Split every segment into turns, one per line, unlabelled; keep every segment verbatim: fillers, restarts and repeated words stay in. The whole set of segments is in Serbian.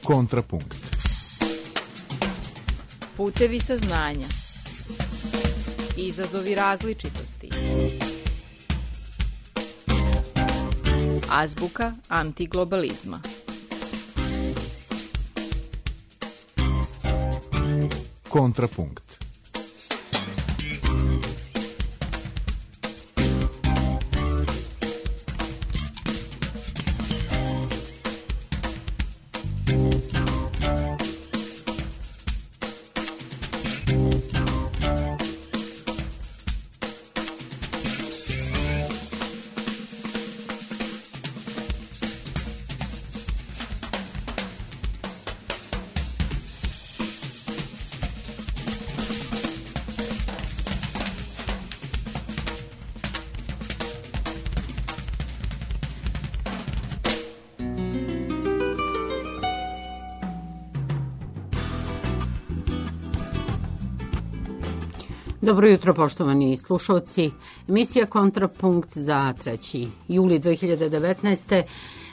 Kontrapunkt.
Putevi saznanja. Izazovi različitosti. Azbuka antiglobalizma.
Kontrapunkt.
Dobro jutro, poštovani slušalci. Emisija Kontrapunkt za treći juli dve hiljade devetnaeste.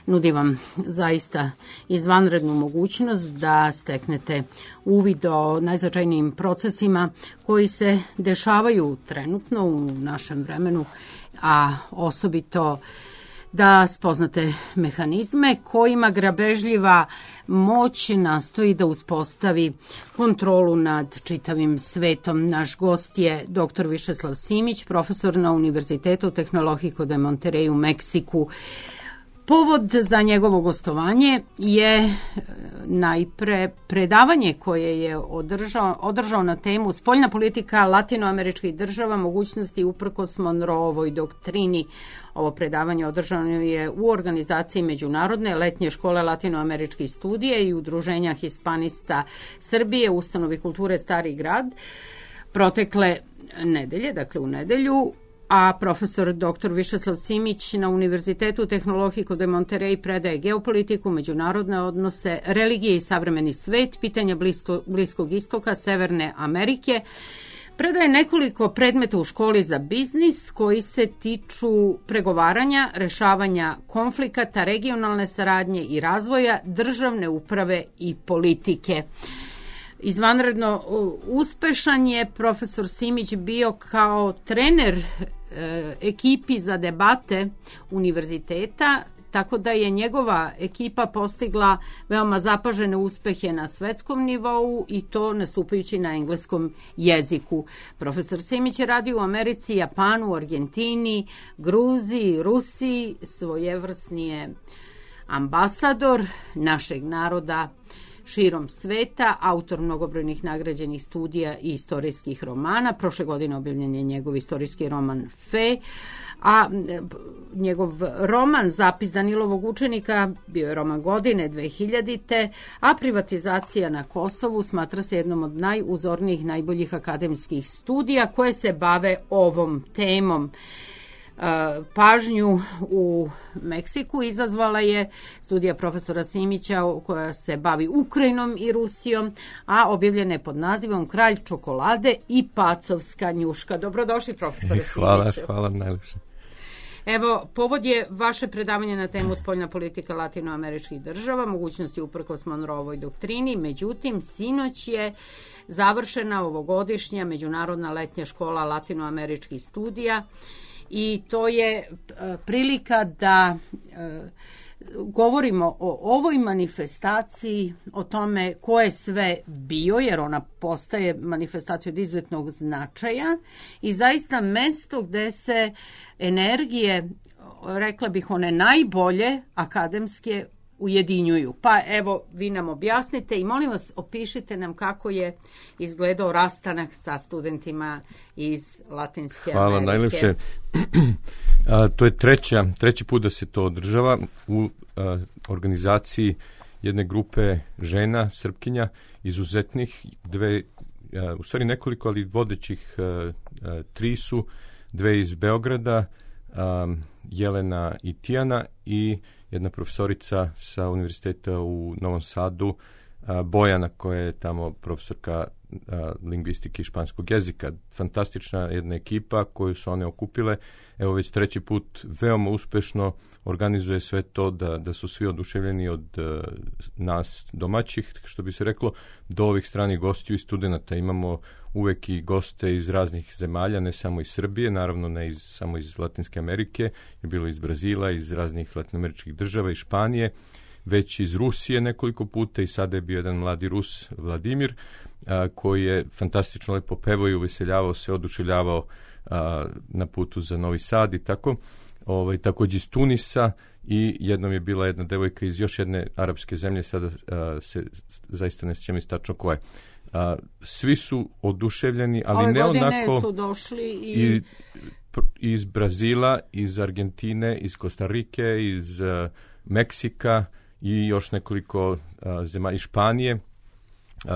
nudi vam zaista izvanrednu mogućnost da steknete uvid o najznačajnijim procesima koji se dešavaju trenutno u našem vremenu, a osobito da spoznate mehanizme kojima grabežljiva moć nastoji da uspostavi kontrolu nad čitavim svetom. Naš gost je doktor Višeslav Simić, profesor na Univerzitetu Tehnologiko de Monterrey u Meksiku. Povod za njegovo gostovanje je najpre predavanje koje je održao, održao na temu spoljna politika latinoameričkih država, mogućnosti uprkos Monroeovoj doktrini. Ovo predavanje održano je u organizaciji Međunarodne letnje škole latinoameričkih studija i Udruženja Hispanista Srbije u ustanovi kulture Stari grad protekle nedelje, dakle u nedelju, a profesor doktor Višeslav Simić na Univerzitetu Tehnologiko de Monterrey predaje geopolitiku, međunarodne odnose, religije i savremeni svet, pitanja blisko, Bliskog istoka, Severne Amerike. Predaje nekoliko predmeta u školi za biznis koji se tiču pregovaranja, rešavanja konflikata, regionalne saradnje i razvoja, državne uprave i politike. Izvanredno uspešan je profesor Simić bio kao trener e, ekipi za debate univerziteta, tako da je njegova ekipa postigla veoma zapažene uspehe na svetskom nivou i to nastupajući na engleskom jeziku. Profesor Simić je radio u Americi, Japanu, Argentini, Gruziji, Rusiji, svojevrsni je ambasador našeg naroda širom sveta, autor mnogobrojnih nagrađenih studija i istorijskih romana. Prošle godine objavljen je njegov istorijski roman Fe, a njegov roman Zapis Danilovog učenika bio je roman godine dve hiljadite. a Privatizacija na Kosovu smatra se jednom od najuzornijih, najboljih akademskih studija koje se bave ovom temom. Pažnju u Meksiku izazvala je studija profesora Simića koja se bavi Ukrajinom i Rusijom, a objavljena je pod nazivom Kralj čokolade i pacovska njuška. Dobrodošli, profesore Simiću.
Hvala, hvala najlepše.
Evo, povod je vaše predavanje na temu spoljna politika latinoameričkih država, mogućnosti uprkos Monroeovoj doktrini. Međutim, sinoć je završena ovogodišnja Međunarodna letnja škola latinoameričkih studija i to je prilika da e, govorimo o ovoj manifestaciji, o tome ko je sve bio, jer ona postaje manifestacija od izuzetnog značaja i zaista mesto gde se energije, rekla bih one najbolje akademske, ujedinjuju. Pa evo, vi nam objasnite i molim vas opišite nam kako je izgledao rastanak sa studentima iz Latinske
Hvala,
Amerike.
Hvala najlepše. A, to je treća, treći put da se to održava u a, organizaciji jedne grupe žena, Srpkinja, izuzetnih, dve, a, u stvari nekoliko, ali vodećih a, a, tri su, dve iz Beograda, a, Jelena i Tijana i jedna profesorica sa univerziteta u Novom Sadu, a, Bojana koja je tamo profesorka a, lingvistike i španskog jezika. Fantastična jedna ekipa koju su one okupile. Evo već treći put veoma uspešno organizuje sve to da, da su svi oduševljeni od uh, nas domaćih, što bi se reklo, do ovih stranih gostiju i studenta. Imamo uvek i goste iz raznih zemalja, ne samo iz Srbije, naravno ne iz, samo iz Latinske Amerike, je bilo iz Brazila, iz raznih latinoameričkih država i Španije, već iz Rusije nekoliko puta i sada je bio jedan mladi Rus, Vladimir, a, koji je fantastično lepo pevao i uveseljavao se, oduševljavao a, na putu za Novi Sad i tako. Ovaj, također iz Tunisa i jednom je bila jedna devojka iz još jedne arapske zemlje, sada a, se zaista ne sjećam tačno koje. A, svi su oduševljeni, ali
ove
ne onako...
Ove godine su došli i...
i iz Brazila, iz Argentine, iz Kostarike, iz uh, Meksika i još nekoliko uh, zemalja iz Španije, uh,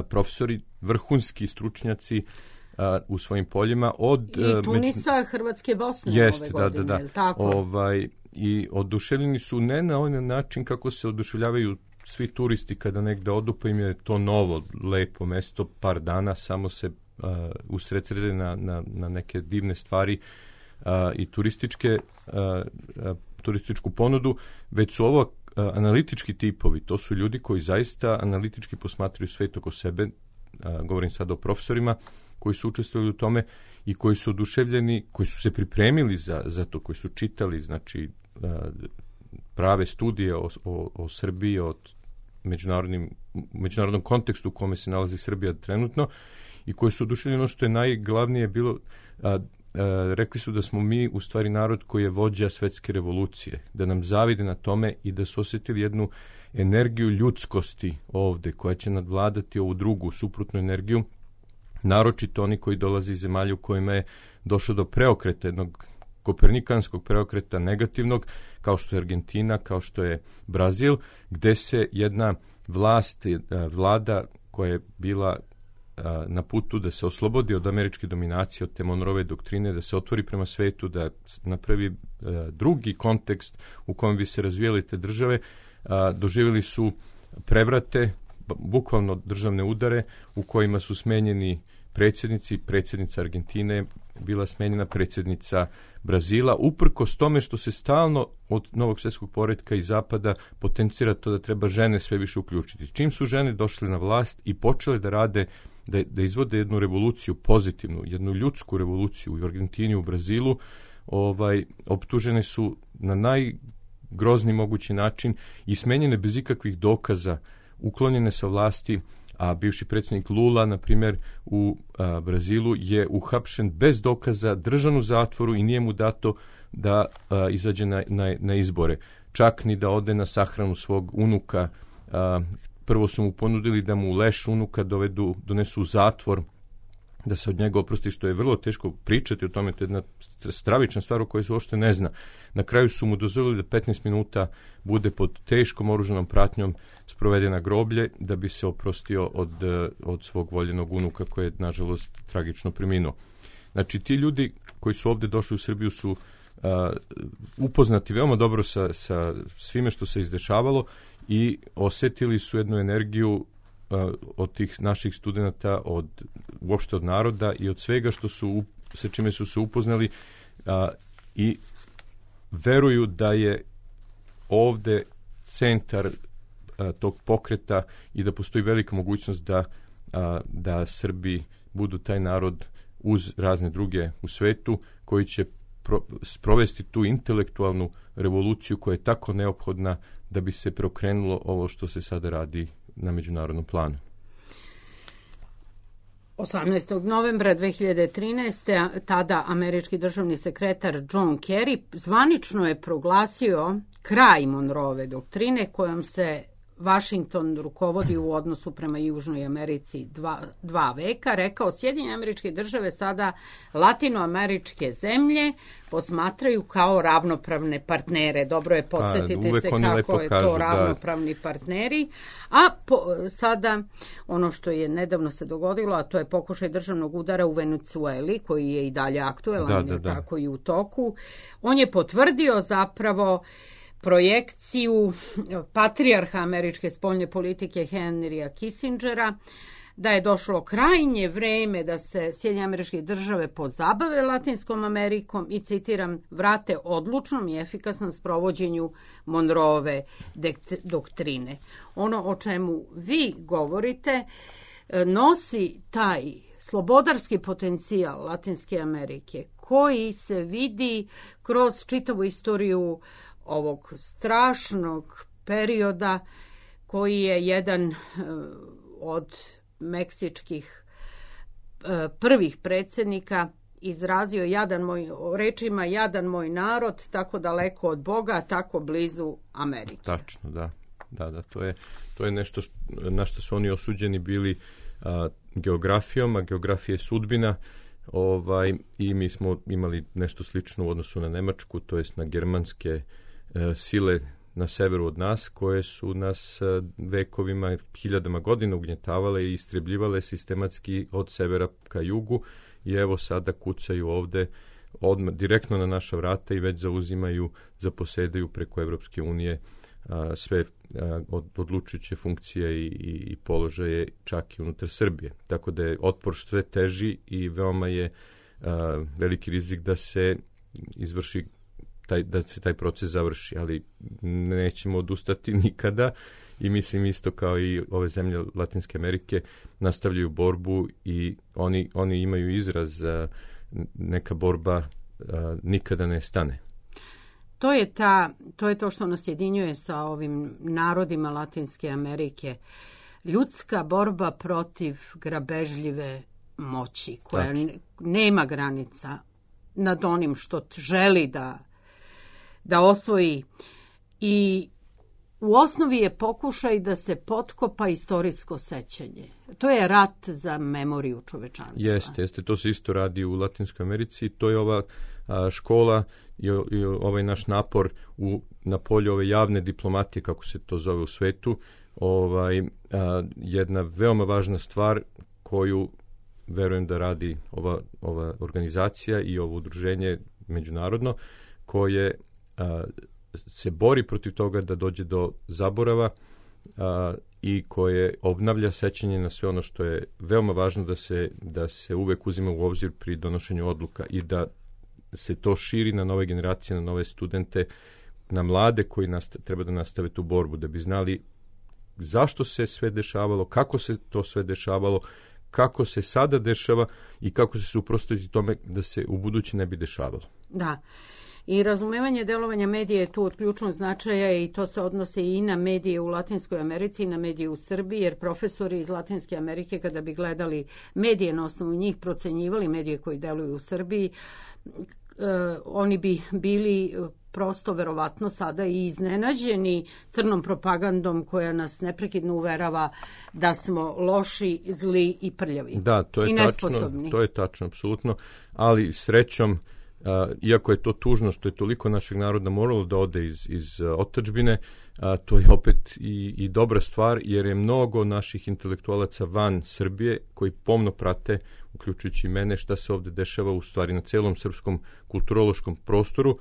profesori, vrhunski stručnjaci uh, u svojim poljima. Od,
I
uh,
Tunisa, među... Hrvatske, Bosne
Jest,
ove
da,
godine,
da, da.
tako?
Ovaj, i oduševljeni su ne na onaj način kako se oduševljavaju svi turisti kada negde odu, pa im je to novo, lepo mesto, par dana, samo se uh, usredsrede na, na, na neke divne stvari uh, i turističke, uh, uh, turističku ponudu, već su ovo uh, analitički tipovi, to su ljudi koji zaista analitički posmatraju svet oko sebe, uh, govorim sad o profesorima, koji su učestvovali u tome i koji su oduševljeni, koji su se pripremili za, za to, koji su čitali, znači, uh, prave studije o, o, o Srbiji, o međunarodnim, međunarodnom kontekstu u kome se nalazi Srbija trenutno i koji su oduševljeni. Ono što je najglavnije bilo, a, a, rekli su da smo mi u stvari narod koji je vođa svetske revolucije, da nam zavide na tome i da su osjetili jednu energiju ljudskosti ovde koja će nadvladati ovu drugu suprotnu energiju, naročito oni koji dolaze iz zemalja u kojima je došlo do preokreta, jednog kopernikanskog preokreta negativnog, kao što je Argentina, kao što je Brazil, gde se jedna vlast, vlada koja je bila na putu da se oslobodi od američke dominacije, od te Monroeve doktrine, da se otvori prema svetu, da napravi drugi kontekst u kojem bi se razvijale te države, doživjeli su prevrate, bukvalno državne udare u kojima su smenjeni predsjednici, predsjednica Argentine bila smenjena, predsjednica Brazila, uprkos tome što se stalno od novog svjetskog poretka i zapada potencira to da treba žene sve više uključiti. Čim su žene došle na vlast i počele da rade, da, da izvode jednu revoluciju pozitivnu, jednu ljudsku revoluciju u Argentini, u Brazilu, ovaj, optužene su na najgrozniji mogući način i smenjene bez ikakvih dokaza, uklonjene sa vlasti, a bivši predsjednik Lula, na primjer, u a, Brazilu je uhapšen bez dokaza, držan u zatvoru i nije mu dato da a, izađe na, na, na izbore. Čak ni da ode na sahranu svog unuka. A, prvo su mu ponudili da mu leš unuka dovedu, donesu u zatvor, da se od njega oprosti, što je vrlo teško pričati o tome, to je jedna stravična stvar o kojoj se uopšte ne zna. Na kraju su mu dozvolili da petnaest minuta bude pod teškom oružanom pratnjom sproveden na groblje, da bi se oprostio od, od svog voljenog unuka koji je, nažalost, tragično preminuo. Znači, ti ljudi koji su ovde došli u Srbiju su uh, upoznati veoma dobro sa, sa svime što se izdešavalo i osetili su jednu energiju od tih naših studenta, od, uopšte od naroda i od svega što su, sa čime su se upoznali a, i veruju da je ovde centar a, tog pokreta i da postoji velika mogućnost da, a, da Srbi budu taj narod uz razne druge u svetu koji će pro, sprovesti tu intelektualnu revoluciju koja je tako neophodna da bi se preokrenulo ovo što se sada radi na međunarodnom planu.
osamnaestog novembra dve hiljade trinaeste. tada američki državni sekretar John Kerry zvanično je proglasio kraj Monroeve doktrine kojom se Washington rukovodi u odnosu prema Južnoj Americi dva, dva veka. Rekao, Sjedinjene Američke Države sada latinoameričke zemlje posmatraju kao ravnopravne partnere. Dobro je, podsjetite
pa,
se kako je
kažu,
to ravnopravni da. partneri. A po, sada ono što je nedavno se dogodilo, a to je pokušaj državnog udara u Venecueli, koji je i dalje aktuelan, da, da, da. tako i u toku. On je potvrdio zapravo projekciju patrijarha američke spoljne politike Henrya Kissingera, da je došlo krajnje vreme da se Sjedinjene Američke Države pozabave Latinskom Amerikom i, citiram, vrate odlučnom i efikasnom sprovođenju Monroeve doktrine. Ono o čemu vi govorite nosi taj slobodarski potencijal Latinske Amerike koji se vidi kroz čitavu istoriju ovog strašnog perioda koji je jedan od meksičkih prvih predsjednika izrazio jadan moj, rečima jadan moj narod, tako daleko od Boga, tako blizu Amerike.
Tačno, da. Da, da, to je, to je nešto što, na što su oni osuđeni bili a, geografijom, a geografija je sudbina, ovaj, i mi smo imali nešto slično u odnosu na Nemačku, to jest na germanske e, sile na severu od nas, koje su nas e, vekovima, hiljadama godina ugnjetavale i istrebljivale sistematski od severa ka jugu, i evo sada kucaju ovde odmah, direktno na naša vrata i već zauzimaju, zaposedaju preko Evropske unije a, sve a, od, odlučujuće funkcije i, i, i položaje čak i unutar Srbije. Tako da je otpor sve teži i veoma je a, veliki rizik da se izvrši taj, da se taj proces završi, ali nećemo odustati nikada i mislim isto kao i ove zemlje Latinske Amerike nastavljaju borbu i oni, oni imaju izraz a, neka borba a, nikada ne stane.
To je, ta, to je to što nas jedinjuje sa ovim narodima Latinske Amerike. Ljudska borba protiv grabežljive moći koja ne, nema granica nad onim što želi da, da osvoji. I u osnovi je pokušaj da se potkopa istorijsko sećanje. To je rat za memoriju čovečanstva.
Jeste, jeste. To se isto radi u Latinskoj Americi. To je ova a, škola i, i ovaj naš napor u, na polju ove javne diplomatije, kako se to zove u svetu, ovaj, a, jedna veoma važna stvar koju verujem da radi ova, ova organizacija i ovo udruženje međunarodno, koje a, se bori protiv toga da dođe do zaborava a, i koje obnavlja sećanje na sve ono što je veoma važno da se, da se uvek uzima u obzir pri donošenju odluka i da se to širi na nove generacije, na nove studente, na mlade koji nasta, treba da nastave tu borbu, da bi znali zašto se sve dešavalo, kako se to sve dešavalo, kako se sada dešava i kako se suprotstaviti tome da se u budući ne bi dešavalo.
Da. I razumevanje delovanja medija je tu od ključnog značaja i to se odnosi i na medije u Latinskoj Americi i na medije u Srbiji, jer profesori iz Latinske Amerike kada bi gledali medije, na osnovu njih procenjivali medije koji deluju u Srbiji, eh, oni bi bili prosto verovatno sada i iznenađeni crnom propagandom koja nas neprekidno uverava da smo loši, zli i prljavi.
Da, to je
i
tačno,
nesposobni.
to je tačno, apsolutno, ali srećom, Uh, iako je to tužno što je toliko našeg naroda moralo da ode iz, iz uh, otadžbine, uh, to je opet i, i dobra stvar, jer je mnogo naših intelektualaca van Srbije koji pomno prate, uključujući mene, šta se ovde dešava u stvari na celom srpskom kulturološkom prostoru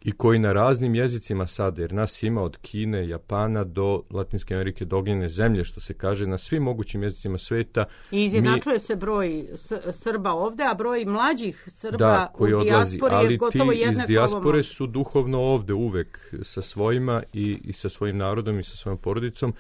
i koji na raznim jezicima sada, jer nas ima od Kine, Japana do Latinske Amerike, do ognjene zemlje, što se kaže, na svim mogućim jezicima sveta.
I izjednačuje mi, se broj Srba ovde, a broj mlađih Srba
da, koji
u dijaspori
odlazi,
je gotovo
ali ti iz dijaspore
ovom.
su duhovno ovde uvek sa svojima i, i sa svojim narodom i sa svojom porodicom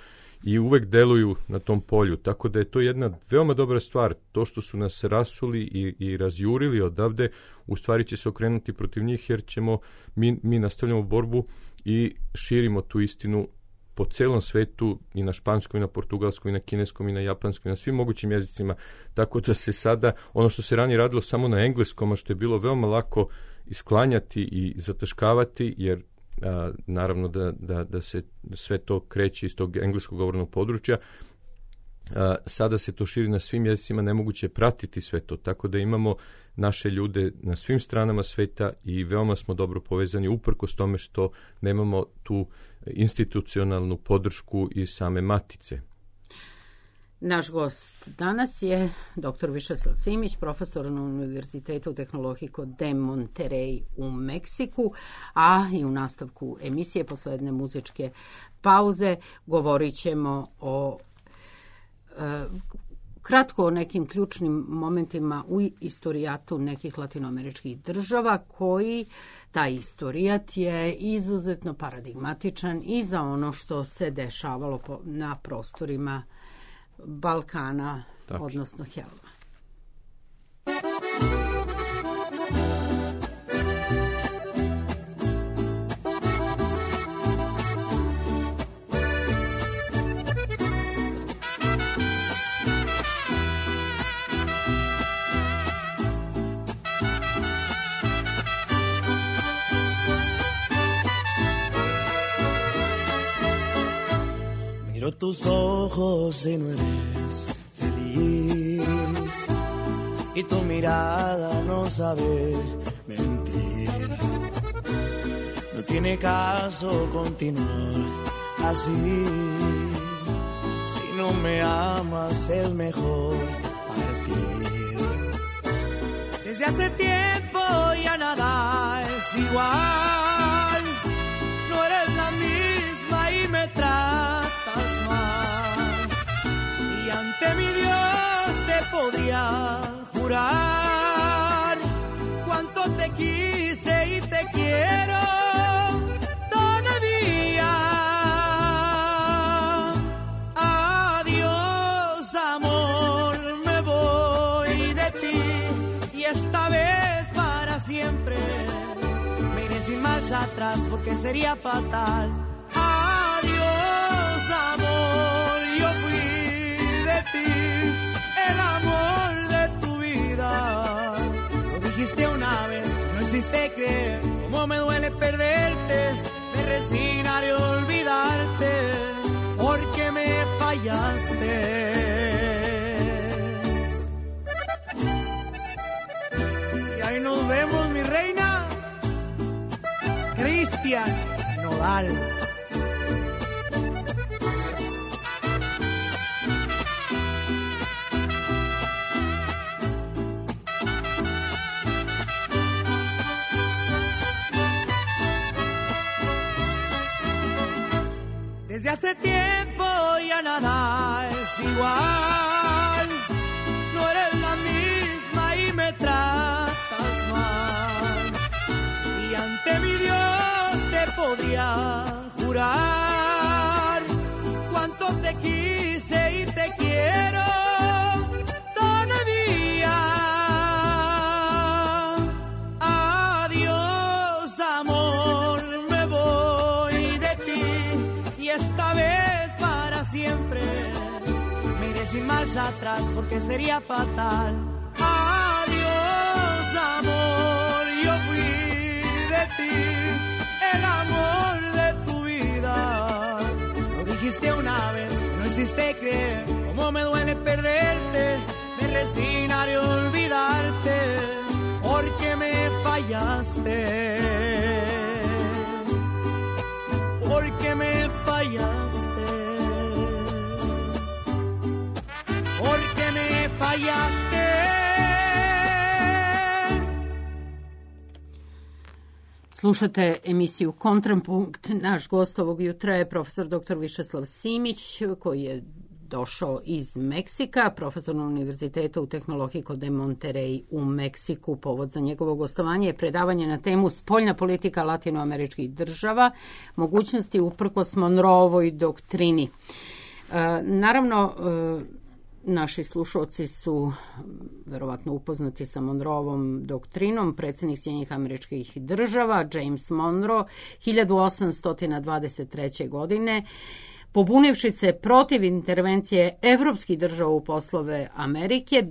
i uvek deluju na tom polju, tako da je to jedna veoma dobra stvar. To što su nas rasuli i, i razjurili odavde, u stvari će se okrenuti protiv njih, jer ćemo, mi, mi nastavljamo borbu i širimo tu istinu po celom svetu, i na španskom, i na portugalskom, i na kineskom, i na japanskom, i na svim mogućim jezicima, tako da se sada, ono što se ranije radilo samo na engleskom, a što je bilo veoma lako isklanjati i zataškavati, jer A, naravno da, da, da se sve to kreće iz tog engleskog govornog područja, a, sada se to širi na svim jezicima, nemoguće je pratiti sve to, tako da imamo naše ljude na svim stranama sveta i veoma smo dobro povezani, uprkos tome što nemamo tu institucionalnu podršku iz same matice.
Naš gost danas je doktor Višeslav Simić, profesor na Univerzitetu tehnologije de Monterrey u Meksiku, a i u nastavku emisije posle jedne muzičke pauze govorit ćemo o e, kratko o nekim ključnim momentima u istorijatu nekih latinoameričkih država koji taj istorijat je izuzetno paradigmatičan i za ono što se dešavalo na prostorima Balkana, Tačno. odnosno Helma.
Miro tus ojos y no eres feliz, y tu mirada no sabe mentir. No tiene caso continuar así. Si no me amas es mejor partir. Desde hace tiempo ya nada es igual. No eres la misma y me traes mi Dios te podría jurar cuánto te quise y te quiero todavía. Adiós, amor, me voy de ti y esta vez para siempre me iré sin marcha atrás porque sería fatal. Adiós, amor, yo fui el amor de tu vida. Lo dijiste una vez, no hiciste creer cómo me duele perderte. Me resignaré a olvidarte porque me fallaste. Y ahí nos vemos, mi reina. Cristian Nodal. Desde hace tiempo ya nada es igual. No eres la misma y me tratas mal. Y ante mi Dios te podría jurar cuánto te quise y te quiero todavía. Adiós, amor, me voy de ti y esta vez para siempre me iré sin marcha atrás porque sería fatal. Adiós, amor, yo fui de ti, el amor de tu vida. Lo dijiste una vez, no hiciste creer cómo me duele perderte. Me resignaré a olvidarte porque me fallaste. Porque me fallaste. Porque me fallaste.
Slušate emisiju Kontrapunkt. Naš gost ovog jutra je profesor doktor Višeslav Simić, koji je došao iz Meksika, profesor na Univerzitetu u tehnologiji de Monterrey u Meksiku. Povod za njegovo gostovanje je predavanje na temu spoljna politika latinoameričkih država, mogućnosti uprkos Monroevoj doktrini. E, naravno, e, naši slušalci su verovatno upoznati sa Monroevom doktrinom. Predsjednik Sjedinjenih Američkih Država James Monroe hiljadu osamsto dvadeset treće. godine, pobunivši se protiv intervencije evropskih država u poslove Amerike,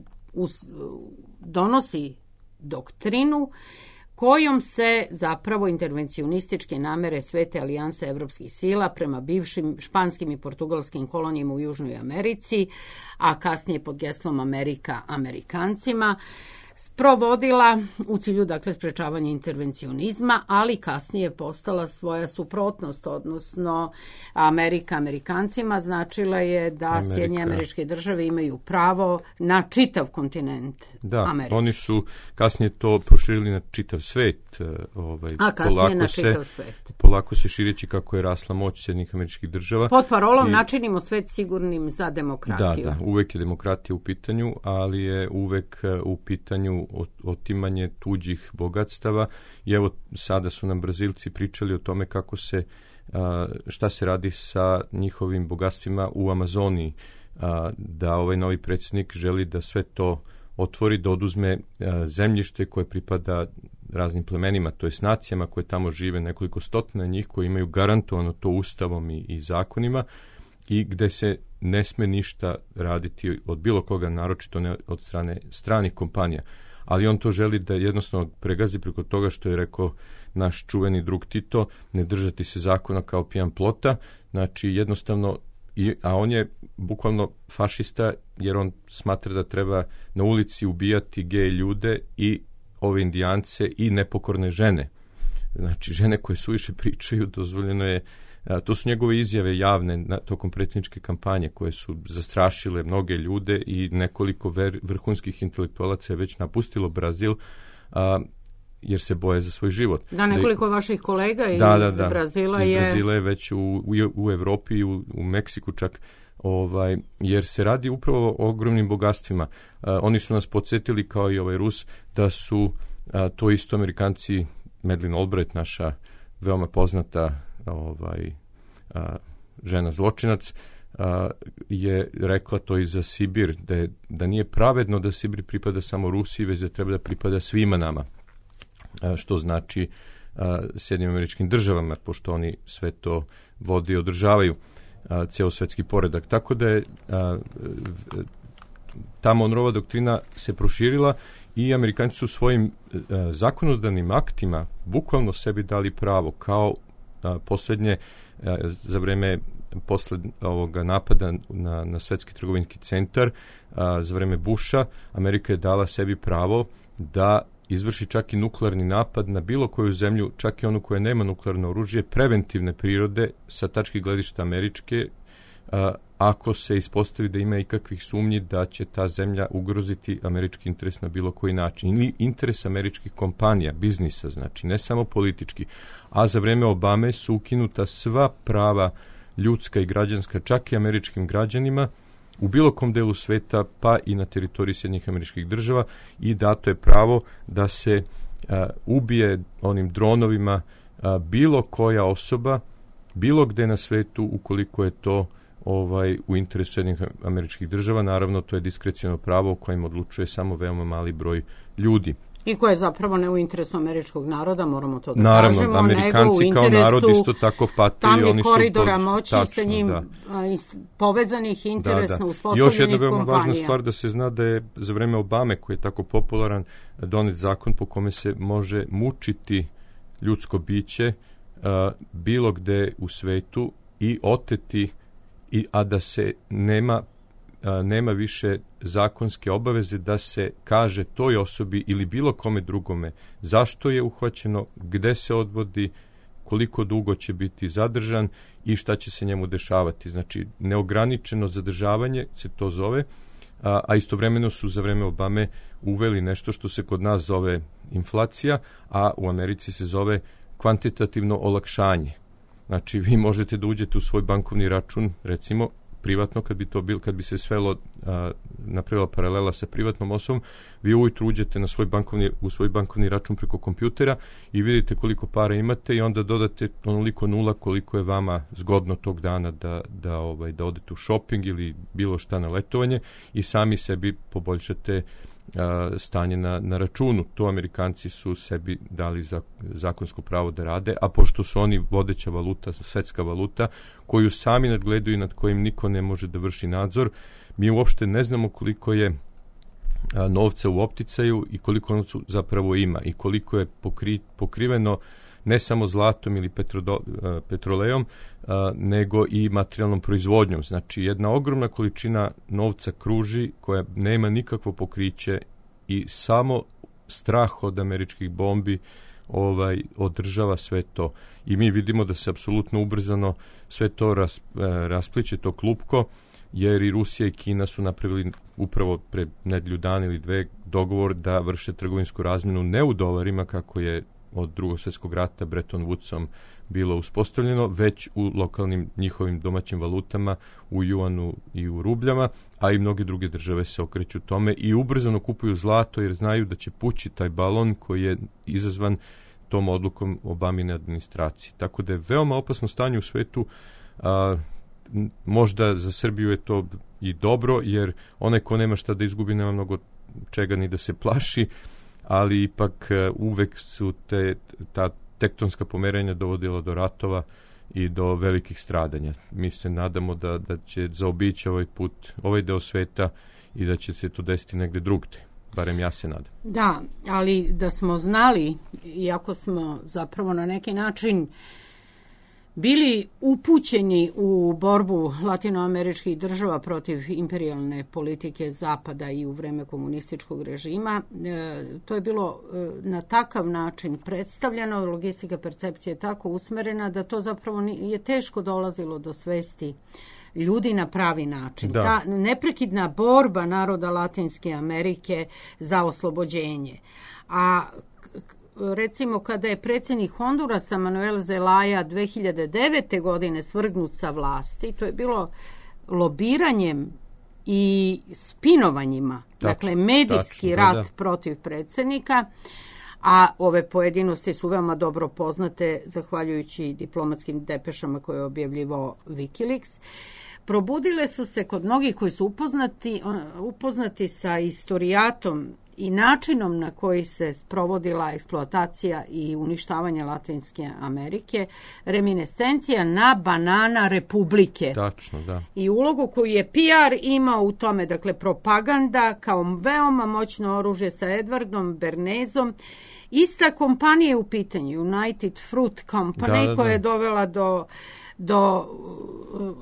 donosi doktrinu kojom se zapravo intervencionističke namere Svete alijanse evropskih sila prema bivšim španskim i portugalskim kolonijama u Južnoj Americi, a kasnije pod geslom Amerika Amerikancima, sprovodila u cilju, dakle, sprečavanja intervencionizma, ali kasnije postala svoja suprotnost, odnosno Amerika Amerikancima značila je da
Amerika.
Sjedinjene Američke Države imaju pravo na čitav kontinent
da,
američki.
Oni su kasnije to proširili na čitav svet. Ovaj,
A kasnije
polako
na
se,
čitav svet.
Polako se šireći kako je rasla moć Sjedinjenih Američkih Država.
Pod parolom
I,
načinimo svet sigurnim za demokratiju.
Da, da, uvek je demokratija u pitanju, ali je uvek u pitanju otimanje tuđih bogatstava. I evo, sada su nam Brazilci pričali o tome kako se, šta se radi sa njihovim bogatstvima u Amazoniji, da ovaj novi predsjednik želi da sve to otvori, da oduzme zemljište koje pripada raznim plemenima, to jest nacijama koje tamo žive, nekoliko stotina njih koji imaju garantovano to ustavom i, i zakonima, i gde se ne sme ništa raditi od bilo koga, naročito ne od strane stranih kompanija. Ali on to želi da jednostavno pregazi preko toga što je rekao naš čuveni drug Tito, ne držati se zakona kao pijan plota, znači jednostavno, i, a on je bukvalno fašista jer on smatra da treba na ulici ubijati gej ljude i ove indijance i nepokorne žene. Znači, žene koje suviše pričaju, dozvoljeno je, a, to su njegove izjave javne na, tokom predsjedničke kampanje koje su zastrašile mnoge ljude i nekoliko ver, vrhunskih intelektualaca je već napustilo Brazil, a, jer se boje za svoj život.
Da, nekoliko da, vaših kolega iz
da, da, da,
Brazila
iz
je...
Brazila je već u, u, u Evropi i u, u Meksiku čak, ovaj, jer se radi upravo o ogromnim bogatstvima. A, oni su nas podsjetili, kao i ovaj Rus, da su a, to isto Amerikanci, Madeleine Albright, naša veoma poznata ovaj, a, žena zločinac, a, je rekla to i za Sibir, da, je, da nije pravedno da Sibir pripada samo Rusiji, već da treba da pripada svima nama. A, što znači Sjedinjenim Američkim Državama, pošto oni sve to vode i održavaju, a, ceo svetski poredak. Tako da je a, ta Monroeva doktrina se proširila i Amerikanci su svojim a, zakonodavnim aktima bukvalno sebi dali pravo, kao a, posljednje a, za vreme posle ovoga napada na, na svetski trgovinski centar, a, za vreme Busha, Amerika je dala sebi pravo da izvrši čak i nuklearni napad na bilo koju zemlju, čak i onu koja nema nuklearno oružje, preventivne prirode sa tačke gledišta američke, a, ako se ispostavi da ima ikakvih sumnji da će ta zemlja ugroziti američki interes na bilo koji način. Ili interes američkih kompanija, biznisa, znači ne samo politički. A za vreme Obame su ukinuta sva prava ljudska i građanska, čak i američkim građanima, u bilo kom delu sveta, pa i na teritoriji Sjedinjenih Američkih Država, i dato je pravo da se a, ubije onim dronovima a, bilo koja osoba, bilo gde na svetu, ukoliko je to ovaj u interesu Sjedinjenih Američkih Država. Naravno, to je diskreciono pravo o kojem odlučuje samo veoma mali broj ljudi.
I koje je zapravo ne u interesu američkog naroda, moramo to da
Naravno,
kažemo.
Amerikanci kao narod isto tako pate.
Tamnih
oni su
koridora
pod,
moći
tačno,
sa njim
da.
povezanih, interesno
da, da.
uspostavljenih
Još jedna veoma
kompanija.
važna stvar da se zna da je za vreme Obame, koji je tako popularan, donet zakon po kome se može mučiti ljudsko biće a, bilo gde u svetu i oteti, i, a da se nema nema više zakonske obaveze da se kaže toj osobi ili bilo kome drugome zašto je uhvaćeno, gde se odvodi, koliko dugo će biti zadržan i šta će se njemu dešavati. Znači, neograničeno zadržavanje se to zove, a, a istovremeno su za vreme Obame uveli nešto što se kod nas zove inflacija, a u Americi se zove kvantitativno olakšanje. Znači, vi možete da uđete u svoj bankovni račun, recimo, privatno, kad bi to bil, kad bi se svelo, a, napravila paralela sa privatnom osobom, vi ujutru uđete na svoj bankovni, u svoj bankovni račun preko kompjutera i vidite koliko para imate i onda dodate onoliko nula koliko je vama zgodno tog dana da, da, ovaj, da odete u shopping ili bilo šta na letovanje i sami sebi poboljšate a, stanje na, na računu. To Amerikanci su sebi dali za, zakonsko pravo da rade, a pošto su oni vodeća valuta, svetska valuta, koju sami nadgledaju i nad kojim niko ne može da vrši nadzor, mi uopšte ne znamo koliko je a, novca u opticaju i koliko novca zapravo ima i koliko je pokri, pokriveno ne samo zlatom ili petrodo, a, petrolejom, a, nego i materijalnom proizvodnjom. Znači, jedna ogromna količina novca kruži koja nema nikakvo pokriće i samo strah od američkih bombi ovaj održava sve to. I mi vidimo da se apsolutno ubrzano sve to ras, raspliće, to klupko, jer i Rusija i Kina su napravili upravo pre nedjelju dana ili dve dogovor da vrše trgovinsku razmjenu ne u dolarima, kako je od drugog svjetskog rata Bretton Woodsom bilo uspostavljeno, već u lokalnim njihovim domaćim valutama, u juanu i u rubljama, a i mnoge druge države se okreću tome i ubrzano kupuju zlato jer znaju da će pući taj balon koji je izazvan tom odlukom Obamine administracije. Tako da je veoma opasno stanje u svetu. A, možda za Srbiju je to i dobro, jer onaj ko nema šta da izgubi nema mnogo čega ni da se plaši, ali ipak uvek su te, ta tektonska pomeranja dovodila do ratova i do velikih stradanja. Mi se nadamo da, da će zaobići ovaj put, ovaj deo sveta i da će se to desiti negde drugde. Barem ja se nadam.
Da, ali da smo znali, iako smo zapravo na neki način bili upućeni u borbu latinoameričkih država protiv imperijalne politike Zapada i u vreme komunističkog režima, e, to je bilo e, na takav način predstavljeno, logistika percepcije je tako usmerena da to zapravo je teško dolazilo do svesti ljudi na pravi način.
Da.
Ta neprekidna borba naroda Latinske Amerike za oslobođenje. A recimo kada je predsjednik Hondurasa Manuel Zelaya dve hiljade devete. godine svrgnut sa vlasti, to je bilo lobiranjem i spinovanjima, tačno, dakle medijski tačno, rat da. protiv predsjednika, a ove pojedinosti su veoma dobro poznate zahvaljujući diplomatskim depešama koje je objavljivao Wikileaks. Probudile su se kod mnogih koji su upoznati, upoznati sa istorijatom i načinom na koji se sprovodila eksploatacija i uništavanje Latinske Amerike, reminiscencija na banana republike.
Tačno, da.
I ulogu koju je P R imao u tome, dakle propaganda kao veoma moćno oružje sa Edwardom Bernezom. Ista kompanija je u pitanju, United Fruit Company, da, da, da. koja je dovela do do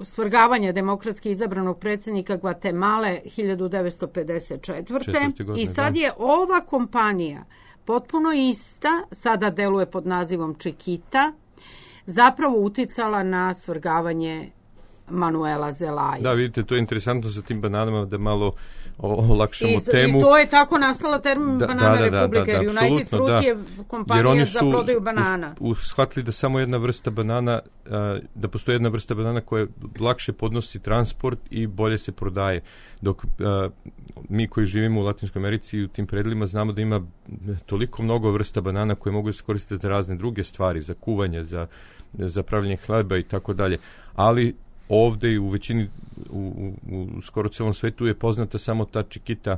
svrgavanja demokratski izabranog predsjednika Gvatemale hiljadu devetsto pedeset četvrte. Godine, I sad je ova kompanija potpuno ista, sada deluje pod nazivom Chiquita, zapravo uticala na svrgavanje Manuela Zelaya.
Da, vidite, to je interesantno sa tim bananama, da malo olakšamo
I,
temu.
I to je tako nastala termin
da,
banana
da, da,
republika,
da, da, da,
United Fruit
da.
je kompanija za prodaju banana.
Us, shvatili da samo jedna vrsta banana, da postoji jedna vrsta banana koja lakše podnosi transport i bolje se prodaje. Dok mi koji živimo u Latinskoj Americi i u tim predjelima znamo da ima toliko mnogo vrsta banana koje mogu se koristiti za razne druge stvari, za kuvanje, za, za pravljenje hleba i tako dalje. Ali ovdje i u većini, u, u, u skoro celom svetu je poznata samo ta Chiquita,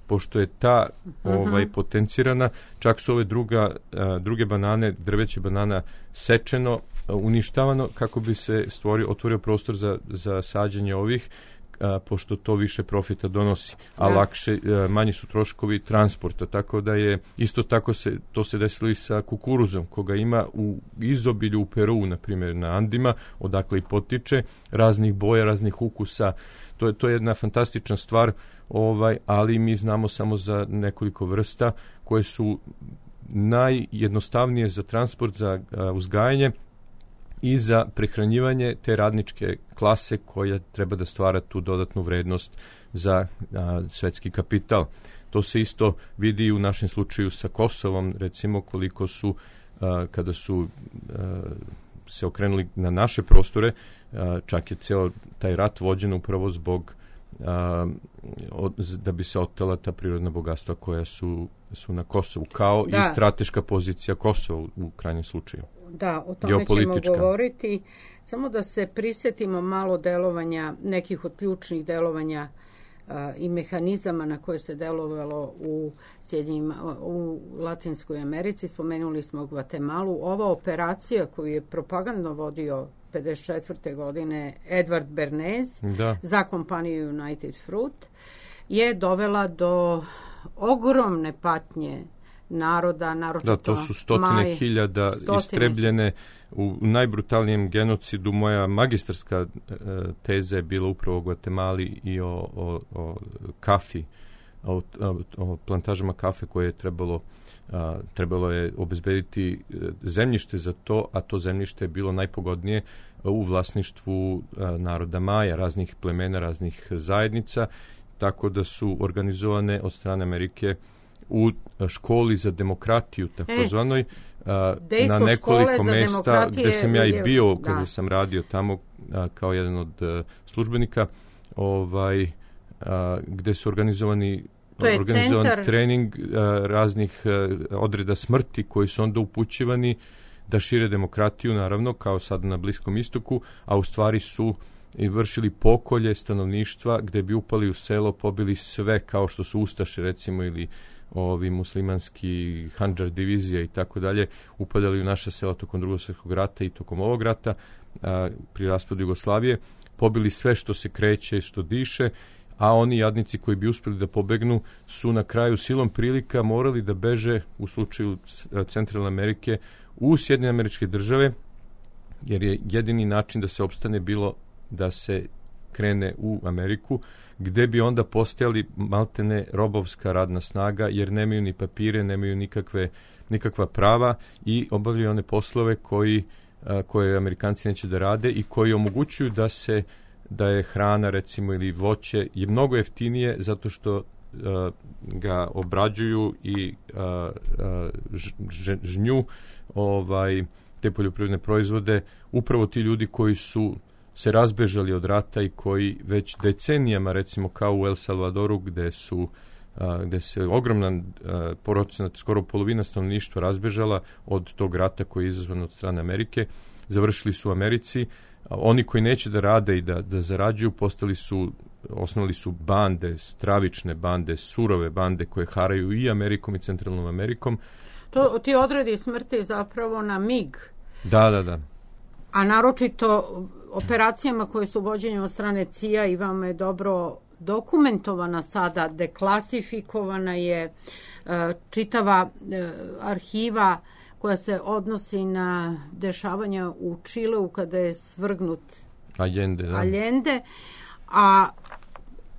pošto je ta uh-huh. ovaj, potencirana, čak su ove druga, a, druge banane, drveće banana sečeno, a, uništavano kako bi se stvorio, otvorio prostor za, za sađenje ovih, a, pošto to više profita donosi, a da. lakše, a, manji su troškovi transporta, tako da je isto tako se, to se desilo i sa kukuruzom, koga ima u izobilju u Peru, na primjer na Andima, odakle i potiče, raznih boja, raznih ukusa. To je, to je jedna fantastična stvar, ovaj, ali mi znamo samo za nekoliko vrsta koje su najjednostavnije za transport, za a, uzgajanje i za prehranjivanje te radničke klase koja treba da stvara tu dodatnu vrednost za a, svetski kapital. To se isto vidi u našem slučaju sa Kosovom, recimo koliko su, a, kada su a, se okrenuli na naše prostore, a, čak je ceo taj rat vođen upravo zbog a, od, da bi se otela ta prirodna bogatstva koja su, su na Kosovu, kao da. i strateška pozicija Kosova u, u krajnjem slučaju.
Da, o tome ćemo govoriti. Samo da se prisjetimo malo delovanja, nekih od ključnih delovanja a, i mehanizama na koje se delovalo u, Sjedinjima, u Latinskoj Americi. Spomenuli smo Gvatemalu. Ova operacija koju je propagandno vodio pedeset četvrte. godine Edward Bernez da. za kompaniju United Fruit je dovela do ogromne patnje naroda, naročito
da, to su stotine maj, hiljada stotine. istrebljene u najbrutalnijem genocidu. Moja magistarska e, teza je bila upravo o Gvatemali i o, o, o kafi o, o, o plantažama kafe koje je trebalo a, trebalo je obezbediti zemljište za to, a to zemljište je bilo najpogodnije u vlasništvu a, naroda Maja, raznih plemena, raznih zajednica, tako da su organizovane od strane Amerike u školi za demokratiju, takozvanoj, e, na nekoliko mesta gde sam ja i bio kada da. sam radio tamo a, kao jedan od a, službenika, ovaj, a, gde su organizovani organizovan centar. trening a, raznih a, odreda smrti koji su onda upućivani da šire demokratiju, naravno, kao sad na Bliskom istoku, a u stvari su i vršili pokolje stanovništva gde bi upali u selo, pobili sve, kao što su Ustaše, recimo, ili ovi muslimanski Handžar divizija i tako dalje, upadali u naša sela tokom Drugog svjetskog rata i tokom ovog rata, a, pri raspadu Jugoslavije, pobili sve što se kreće i što diše, a oni jadnici koji bi uspeli da pobegnu su na kraju silom prilika morali da beže u slučaju Centralne Amerike u Sjedinjene Američke Države, jer je jedini način da se opstane bilo da se krene u Ameriku, gde bi onda postojali maltene robovska radna snaga, jer nemaju ni papire, nemaju nikakve, nikakva prava i obavljaju one poslove koji, a, koje Amerikanci neće da rade i koji omogućuju da se da je hrana, recimo, ili voće je mnogo jeftinije zato što a, ga obrađuju i a, a, ž, žnju ovaj, te poljoprivredne proizvode upravo ti ljudi koji su se razbežali od rata i koji već decenijama, recimo kao u El Salvadoru, gde su a, gde se ogromna procenat, skoro polovina stanovništva razbežala od tog rata koji je izazvan od strane Amerike, završili su u Americi. A oni koji neće da rade i da, da zarađuju, postali su, osnovali su bande, stravične bande, surove bande koje haraju i Amerikom i Centralnom Amerikom.
To, ti odredi smrti zapravo na mig.
Da, da, da.
A naročito operacijama koje su vođenje od strane C I A i vam je dobro dokumentovana sada, deklasifikovana je uh, čitava uh, arhiva koja se odnosi na dešavanja u Čileu kada je svrgnut
Allende, da.
Allende, a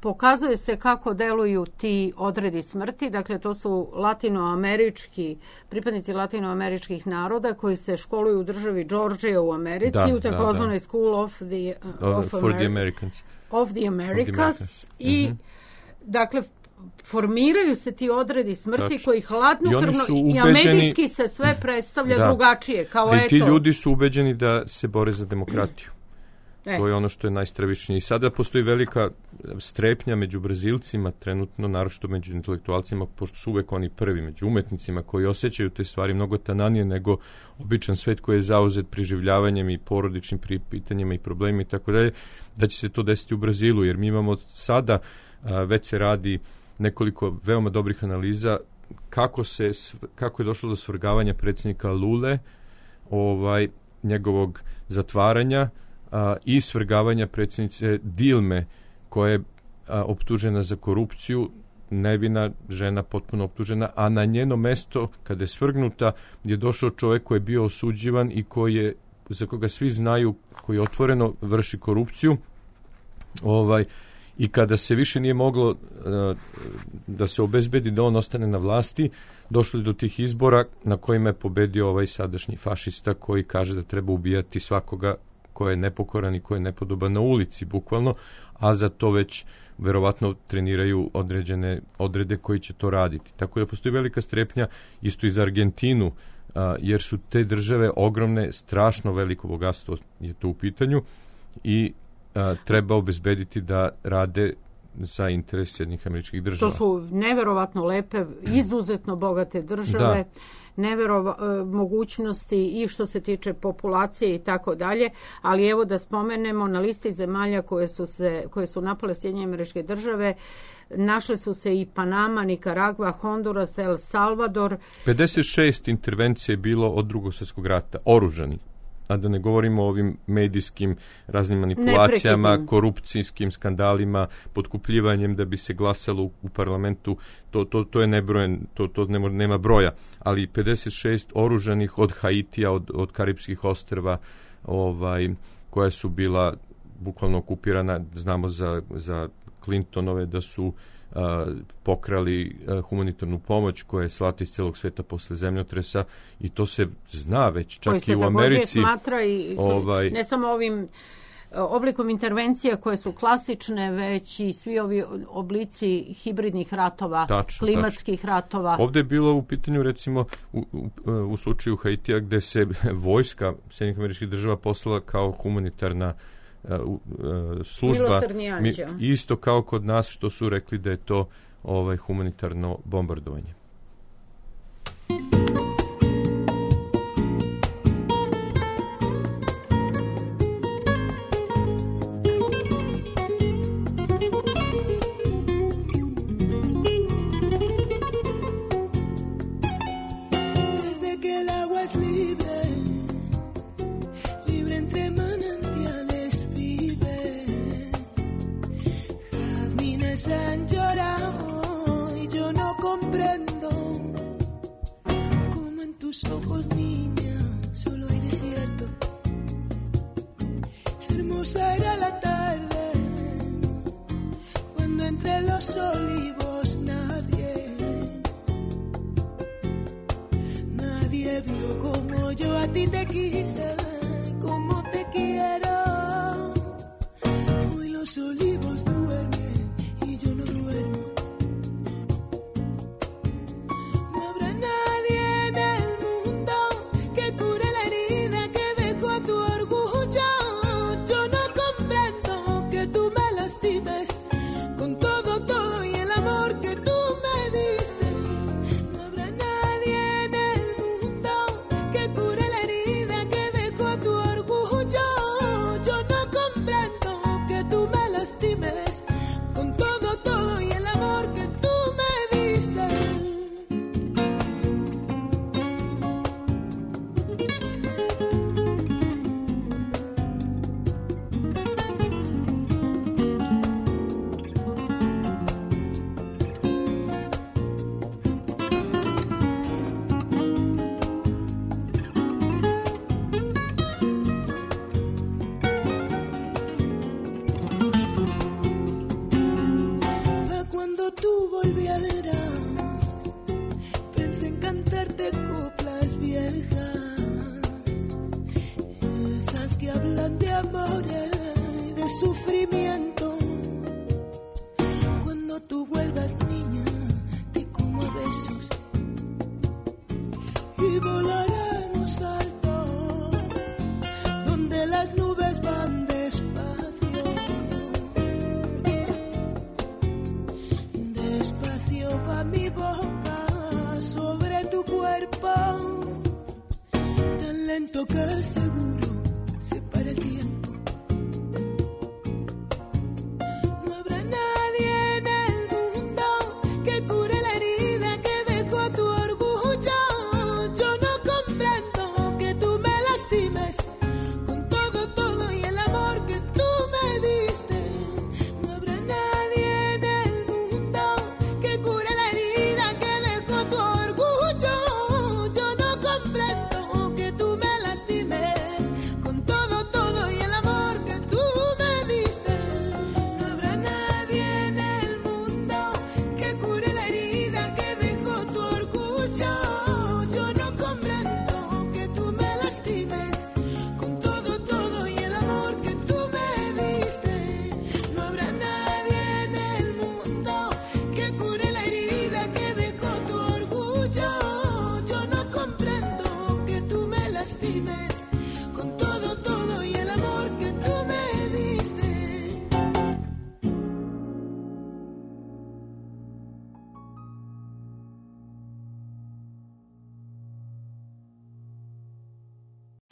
pokazuje se kako deluju ti odredi smrti. Dakle, to su latinoamerički, pripadnici latinoameričkih naroda koji se školuju u državi Georgia u Americi, da, u takozvanoj da, da. School of the, uh, of
For the Americans.
Of the Americas. I, mm-hmm. dakle, formiraju se ti odredi smrti Tač. koji hladnokrvno i, i a medijski se sve predstavlja da. drugačije. Kao
I
eto.
ti ljudi su ubeđeni da se bore za demokratiju. E. To je ono što je najstravičnije. I sada postoji velika strepnja među Brazilcima, trenutno, naročito među intelektualcima, pošto su uvek oni prvi, među umetnicima koji osjećaju te stvari mnogo tananije nego običan svet koji je zauzet preživljavanjem i porodičnim pitanjima i problemima i tako dalje, da će se to desiti u Brazilu, jer mi imamo sada, a, već se radi nekoliko veoma dobrih analiza kako se kako je došlo do svrgavanja predsjednika Lule, ovaj njegovog zatvaranja a, i svrgavanja predsjednice Dilme, koja je a, optužena za korupciju, nevina žena potpuno optužena, a na njeno mesto kada je svrgnuta je došao čovjek koji je bio osuđivan i koji je, za koga svi znaju, koji otvoreno vrši korupciju. Ovaj I kada se više nije moglo uh, da se obezbedi da on ostane na vlasti, došlo je do tih izbora na kojima je pobedio ovaj sadašnji fašista koji kaže da treba ubijati svakoga ko je nepokoran i ko je nepodoban na ulici, bukvalno, a za to već verovatno treniraju određene odrede koji će to raditi. Tako da postoji velika strepnja isto i za Argentinu, uh, jer su te države ogromne, strašno veliko bogatstvo je to u pitanju i A, treba obezbediti da rade za interes Sjedinjenih Američkih Država.
To su neverovatno lepe, izuzetno bogate države, da. neverova, mogućnosti i što se tiče populacije i tako dalje, ali evo da spomenemo, na listi zemalja koje su, se, koje su napale Sjedinjene Američke Države, našle su se i Panama, Nikaragva, Honduras, El Salvador.
pedeset šest intervencije je bilo od Drugog svjetskog rata, oružanih. A da ne govorimo o ovim medijskim raznim manipulacijama, Neprekidno. korupcijskim skandalima, potkupljivanjem da bi se glasalo u, u parlamentu, to, to, to je nebrojen, to, to nema, nema broja, ali pedeset šest oružanih od Haitija, od, od Karipskih ostrva, ovaj, koja su bila bukvalno okupirana, znamo za, za Clintonove da su a, pokrali a, humanitarnu pomoć koja je slata iz celog sveta posle zemljotresa i to se zna već čak i u Americi.
Smatra i, ovaj, ne samo ovim oblikom intervencija koje su klasične, već i svi ovi oblici hibridnih ratova, tačno, klimatskih tačno. ratova.
Ovde je bilo u pitanju recimo u, u, u slučaju Haitija gde se vojska Sjedinjenih Američkih Država poslala kao humanitarna uh, uh, služba. Mi, isto kao kod nas što su rekli da je to ovaj humanitarno bombardovanje.
Han llorado y yo no comprendo cómo en tus ojos, niña, solo hay desierto. Hermosa era la tarde cuando entre los olivos nadie, nadie vio como yo a ti te quise, como te quiero. Hoy los olivos duermen y yo no duermo. No habrá nadie en el mundo que cure la herida que dejó tu orgullo. Yo no comprendo que tú me lastimes con todo, todo y el amor que tú me diste. No habrá nadie en el mundo que cure la herida que dejó tu orgullo. Yo no comprendo que tú me lastimes con todo.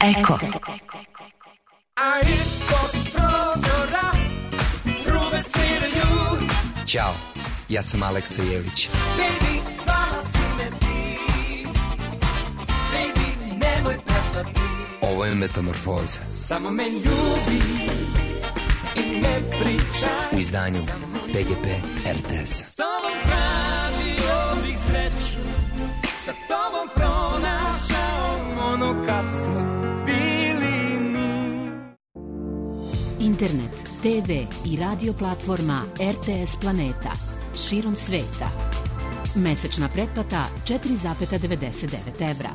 Eko.
A ispod prozora trube sviraju.
Ćao, ja sam Aleksa Jelić.
Baby, zvala si me ti. Baby, nemoj prestati.
Ovo je Metamorfoza.
Samo me ljubi i ne pričaj.
U izdanju P G P R T S-a.
S tobom tražio bih sreću, sa tobom pronašao ono kad smo bili mi.
Internet, te ve i radio platforma R T S Planeta. širom sveta. Mesečna pretplata četiri zarez devedeset devet evra.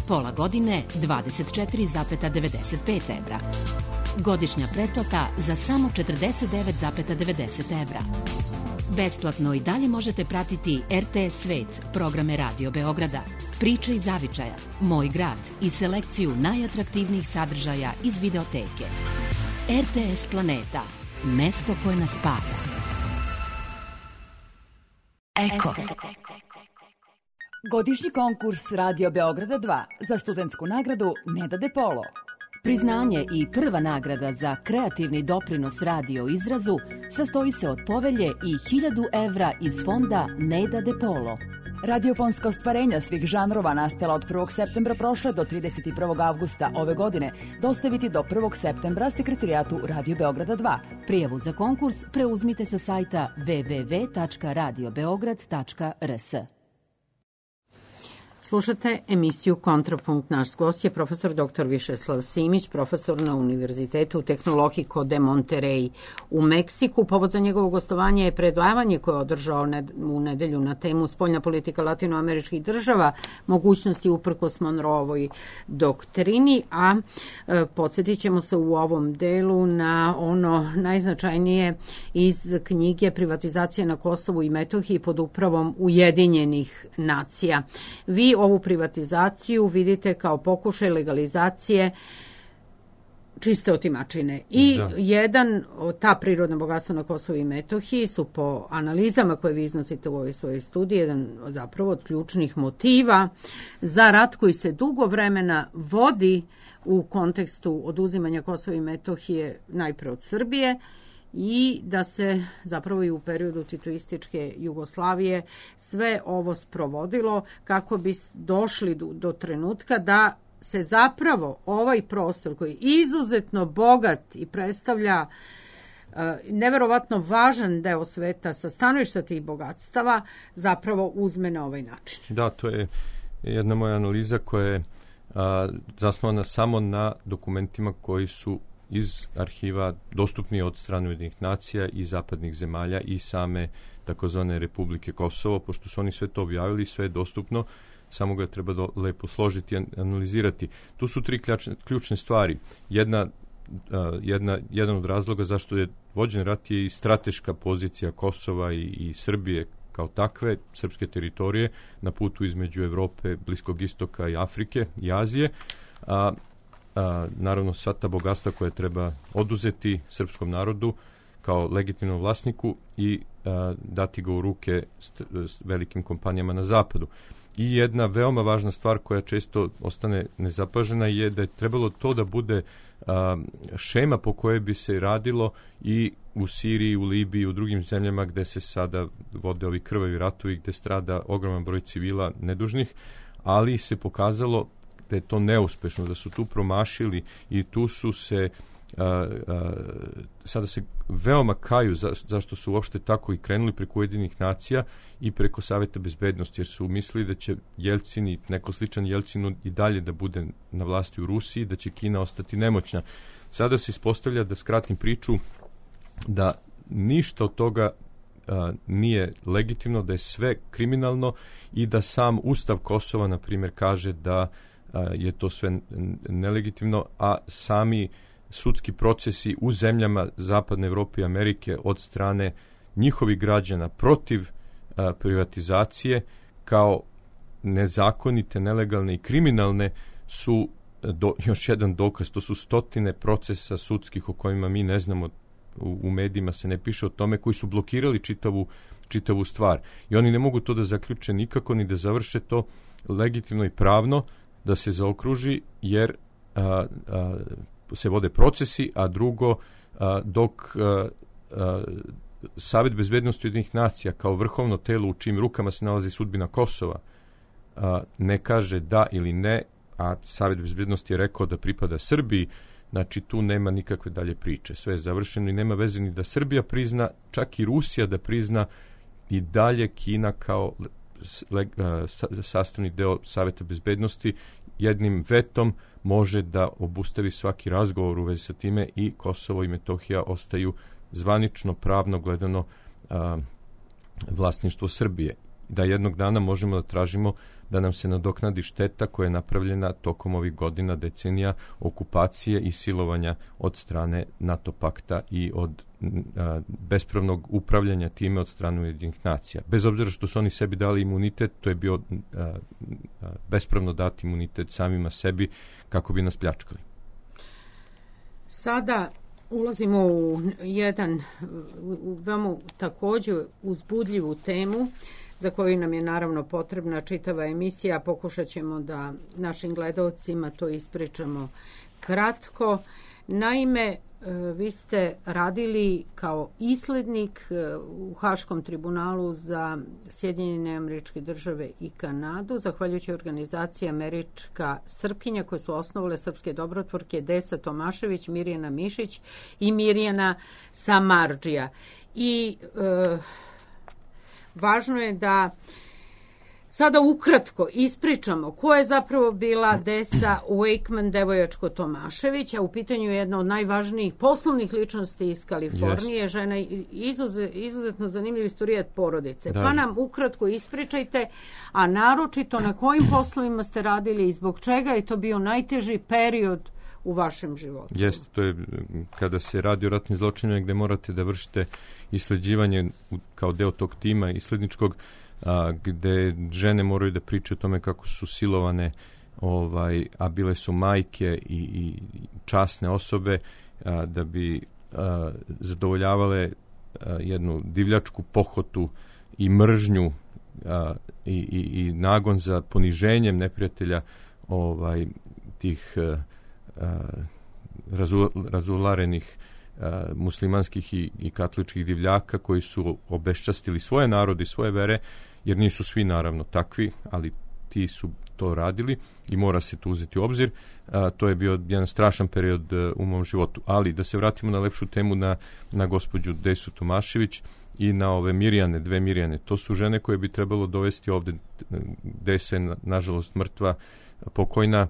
Pola godine dvadeset četiri zarez devedeset pet evra. Godišnja pretplata za samo četrdeset devet zarez devedeset evra. Besplatno i dalje možete pratiti er te es Svet, programe Radio Beograda, Priče iz zavičaja, Moj grad i selekciju najatraktivnijih sadržaja iz videoteke. er te es Planeta, mesto koje nas spaja.
Eko.
Godišnji konkurs Radio Beograda dva za studentsku nagradu Neda De Polo.
Priznanje i prva nagrada za kreativni doprinos radio izrazu sastoji se od povelje i hiljadu evra iz fonda Neda De Polo.
Radiofonska ostvarenja svih žanrova nastala od prvog septembra prošle do trideset prvog avgusta ove godine dostaviti do prvog septembra sekretarijatu Radio Beograda dva.
Prijavu za konkurs preuzmite sa sajta w w w tačka radio beograd tačka r s.
Slušate emisiju Kontrapunkt. Naš gost je profesor doktor Višeslav Simić, profesor na Univerzitetu Tehnologiko de Monterrey u Meksiku. Povod za njegovo gostovanje je predavanje koje je održao u nedelju na temu spoljna politika latinoameričkih država, mogućnosti uprkos Monroevoj doktrini, a e, podsjetit ćemo se u ovom delu na ono najznačajnije iz knjige Privatizacija na Kosovu i Metohiji pod upravom Ujedinjenih nacija. Vi ovu privatizaciju vidite kao pokušaj legalizacije čiste otimačine. I da. jedan od ta prirodna bogatstva na Kosovu i Metohiji su po analizama koje vi iznosite u ovoj svojoj studiji jedan od zapravo od ključnih motiva za rat koji se dugo vremena vodi u kontekstu oduzimanja Kosova i Metohije najpre od Srbije, i da se zapravo i u periodu titoističke Jugoslavije sve ovo sprovodilo kako bi došli do, do trenutka da se zapravo ovaj prostor koji je izuzetno bogat i predstavlja uh, neverovatno važan deo sveta sa stanovišta tih bogatstava zapravo uzme na ovaj način.
Da, to je jedna moja analiza koja je uh, zasnovana samo na dokumentima koji su iz arhiva dostupni od strane Ujedinjenih nacija i zapadnih zemalja i same takozvane Republike Kosovo, pošto su oni sve to objavili, sve je dostupno, samo ga treba do, lepo složiti i analizirati. Tu su tri ključne, ključne stvari. Jedna, uh, jedna, jedan od razloga zašto je vođen rat je i strateška pozicija Kosova i, i Srbije kao takve, srpske teritorije na putu između Evrope, Bliskog istoka i Afrike i Azije, a A, naravno sva ta bogatstva koje treba oduzeti srpskom narodu kao legitimnom vlasniku i a, dati ga u ruke st, st, velikim kompanijama na zapadu. I jedna veoma važna stvar koja često ostane nezapažena je da je trebalo to da bude a, šema po kojoj bi se radilo i u Siriji, u Libiji i u drugim zemljama gde se sada vode ovi krvavi ratovi, gde strada ogroman broj civila nedužnih, ali se pokazalo da je to neuspešno, da su tu promašili i tu su se a, a, sada se veoma kaju za, zašto su uopšte tako i krenuli preko Ujedinjenih nacija i preko Saveta bezbednosti, jer su mislili da će Jelcin i neko sličan Jelcinu i dalje da bude na vlasti u Rusiji, da će Kina ostati nemoćna. Sada se ispostavlja, da skratim priču, da ništa od toga a, nije legitimno, da je sve kriminalno i da sam Ustav Kosova, na primjer, kaže da je to sve nelegitimno, a sami sudski procesi u zemljama Zapadne Evrope i Amerike od strane njihovih građana protiv a, privatizacije kao nezakonite, nelegalne i kriminalne su do, još jedan dokaz. To su stotine procesa sudskih o kojima mi ne znamo, u, u medijima se ne piše o tome, koji su blokirali čitavu, čitavu stvar. I oni ne mogu to da zaključe nikako, ni da završe to legitimno i pravno, da se zaokruži, jer a, a, se vode procesi, a drugo, a, dok a, a, Savet bezbednosti Ujedinjenih nacija kao vrhovno telo u čijim rukama se nalazi sudbina Kosova a, ne kaže da ili ne, a Savet bezbednosti je rekao da pripada Srbiji, znači tu nema nikakve dalje priče. Sve je završeno i nema veze ni da Srbija prizna, čak i Rusija da prizna, i dalje Kina kao sastavni deo Saveta bezbednosti jednim vetom može da obustavi svaki razgovor u vezi sa time i Kosovo i Metohija ostaju zvanično, pravno gledano a, vlasništvo Srbije. Da jednog dana možemo da tražimo da nam se nadoknadi šteta koja je napravljena tokom ovih godina, decenija okupacije i silovanja od strane NATO pakta i od a, bespravnog upravljanja time od strane Ujedinjenih nacija. Bez obzira što su oni sebi dali imunitet, to je bio a, a, bespravno dati imunitet samima sebi kako bi nas pljačkali.
Sada ulazimo u jedan u veoma također uzbudljivu temu za koju nam je naravno potrebna čitava emisija. Pokušat ćemo da našim gledalcima to ispričamo kratko. Naime, vi ste radili kao islednik u Haškom tribunalu za Sjedinjene Američke Države i Kanadu, zahvaljujući organizaciji Američka Srpkinja koje su osnovale srpske dobrotvorke Desa Tomašević, Mirjana Mišić i Mirjana Samardžija. I e, važno je da sada ukratko ispričamo ko je zapravo bila Desa Wakeman Devojačko Tomašević, a u pitanju je jedna od najvažnijih poslovnih ličnosti iz Kalifornije, yes. Žena izuzet, izuzetno zanimljiv istorijat porodice. Da. Pa nam ukratko ispričajte, a naročito na kojim poslovima ste radili i zbog čega je to bio najteži period u vašem životu.
Jeste, to je kada se radi o ratnim zločinima gde morate da vršite isleđivanje kao deo tog tima isledničkog, a, gde žene moraju da pričaju o tome kako su silovane, ovaj, a bile su majke i, i časne osobe, a, da bi a, zadovoljavale a, jednu divljačku pohotu i mržnju a, i, i, i nagon za poniženjem neprijatelja ovaj, tih a, a, razu, razularenih a, muslimanskih i, i katoličkih divljaka koji su obeščastili svoje narode i svoje vere, jer nisu svi naravno takvi, ali ti su to radili i mora se to uzeti u obzir. A, to je bio jedan strašan period a, u mom životu. Ali da se vratimo na lepšu temu, na, na gospođu Desu Tomašević i na ove Mirjane, dve Mirjane. To su žene koje bi trebalo dovesti ovde. Desa je nažalost mrtva, pokojna,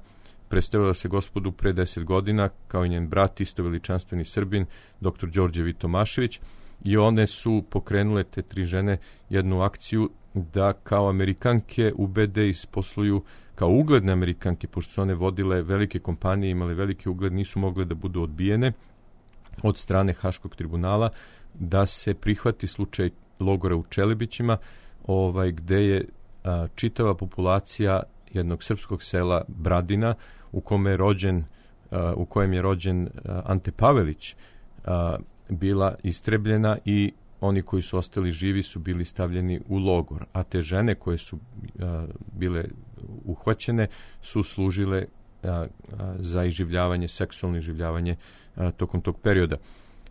predstavila se gospodu pre deset godina, kao i njen brat, isto veličanstveni Srbin, doktor Đorđe V. Tomašević, i one su pokrenule, te tri žene, jednu akciju da kao Amerikanke ubede i posluju kao ugledne Amerikanke, pošto su one vodile velike kompanije, imale veliki ugled, nisu mogle da budu odbijene od strane Haškog tribunala, da se prihvati slučaj logora u Čelebićima, ovaj, gde je a, čitava populacija jednog srpskog sela Bradina, u kome je rođen, a, u kojem je rođen a, Ante Pavelić, a, bila istrebljena i oni koji su ostali živi su bili stavljeni u logor, a te žene koje su a, bile uhvaćene su služile a, a, za iživljavanje, seksualno iživljavanje a, tokom tog perioda.